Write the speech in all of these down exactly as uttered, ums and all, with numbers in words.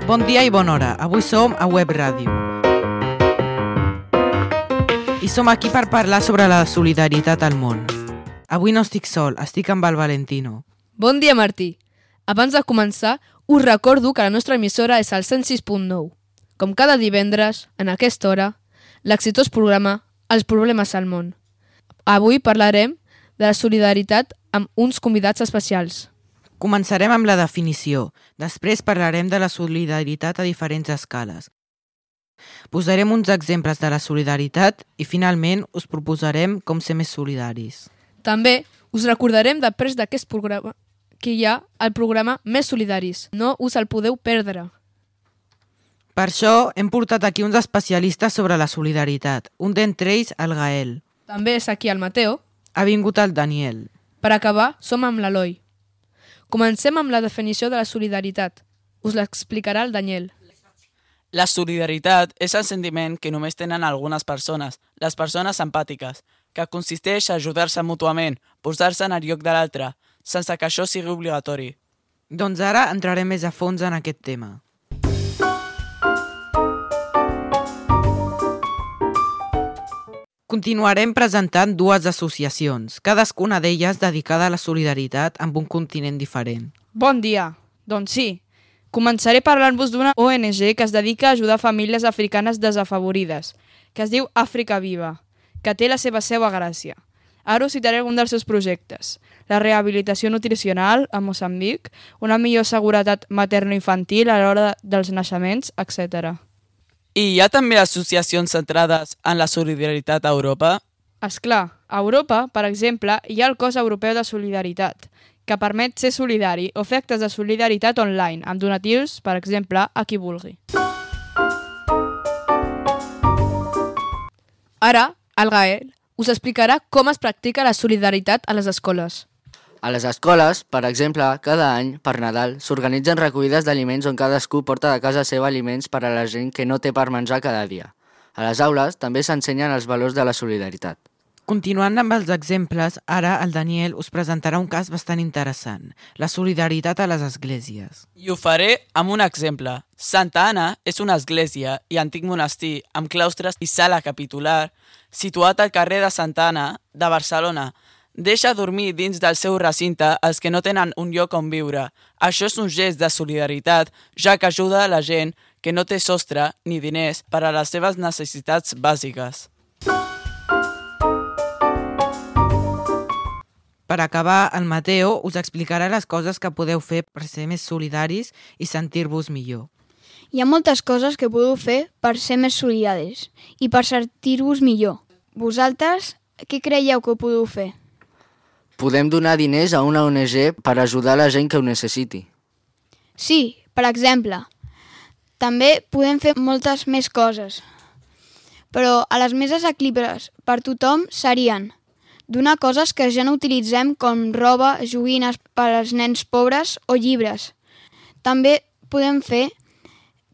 Bon dia i bona hora. Avui som a Web Ràdio. I som aquí per parlar sobre la solidaritat al món. Avui no estic sol, estic amb el Valentino. Bon dia, Martí. Abans de començar, us recordo que la nostra emissora és el cent sis punt nou. Com cada divendres, en aquesta hora, l'exitós programa Els problemes al món. Avui parlarem de la solidaritat amb uns convidats especials. Començarem amb la definició. Després parlarem de la solidaritat a diferents escales. Posarem uns exemples de la solidaritat i finalment us proposarem com ser més solidaris. També us recordarem després d'aquest programa que hi ha el programa Més Solidaris. No us el podeu perdre. Per això hem portat aquí uns especialistes sobre la solidaritat. Un d'entre ells, el Gael. També és aquí el Mateo. Ha vingut el Daniel. Per acabar, som amb l'Eloi. Comencem amb la definició de la solidaritat. Us l'explicarà el Daniel. La solidaritat és el sentiment que només tenen algunes persones, les persones empàtiques, que consisteix a ajudar-se mútuament, posar-se en el lloc de l'altre, sense que això sigui obligatori. Doncs ara entrarem més a fons en aquest tema. Continuarem presentant dues associacions, cadascuna d'elles dedicada a la solidaritat amb un continent diferent. Bon dia. Doncs sí. Començaré parlant-vos d'una O N G que es dedica a ajudar famílies africanes desafavorides, que es diu Àfrica Viva, que té la seva seu a Gràcia. Ara us citaré algun dels seus projectes. La rehabilitació nutricional a Moçambic, una millor seguretat materno-infantil a l'hora dels naixements, etcètera. I hi ha també associacions centrades en la solidaritat a Europa? Esclar, a Europa, per exemple, hi ha el Cos Europeu de Solidaritat, que permet ser solidari o fer actes de solidaritat online, amb donatius, per exemple, a qui vulgui. Ara, el Gael us explicarà com es practica la solidaritat a les escoles. A les escoles, per exemple, cada any, per Nadal, s'organitzen recollides d'aliments on cadascú porta de casa seva aliments per a la gent que no té per menjar cada dia. A les aules també s'ensenyen els valors de la solidaritat. Continuant amb els exemples, ara el Daniel us presentarà un cas bastant interessant, la solidaritat a les esglésies. I ho faré amb un exemple. Santa Anna és una església i antic monestir amb claustres i sala capitular situat al carrer de Santa Anna de Barcelona. Deixa dormir dins del seu recinte els que no tenen un lloc on viure. Això és un gest de solidaritat, ja que ajuda a la gent que no té sostre ni diners per a les seves necessitats bàsiques. Per acabar, el Mateo us explicarà les coses que podeu fer per ser més solidaris i sentir-vos millor. Hi ha moltes coses que podeu fer per ser més solidaris i per sentir-vos millor. Vosaltres, què creieu que podeu fer? Podem donar diners a una O N G per ajudar la gent que ho necessiti. Sí, per exemple. També podem fer moltes més coses. Però a les més assequibles per tothom serien donar coses que ja no utilitzem com roba, joguines per als nens pobres o llibres. També podem fer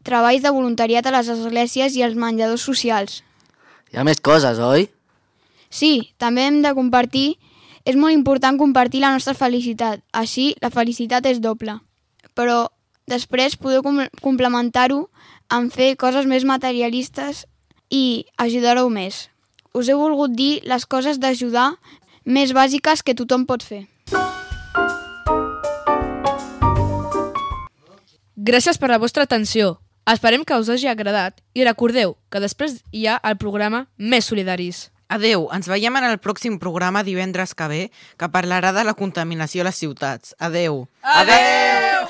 treballs de voluntariat a les esglésies i als menjadors socials. Hi ha més coses, oi? Sí, també hem de compartir. És molt important compartir la nostra felicitat, així la felicitat és doble. Però després podeu com- complementar-ho amb fer coses més materialistes i ajudar-ho més. Us he volgut dir les coses d'ajudar més bàsiques que tothom pot fer. Gràcies per la vostra atenció. Esperem que us hagi agradat i recordeu que després hi ha el programa Més Solidaris. Adeu, ens veiem en el pròxim programa divendres que ve, que parlarà de la contaminació a les ciutats. Adeu. Adeu!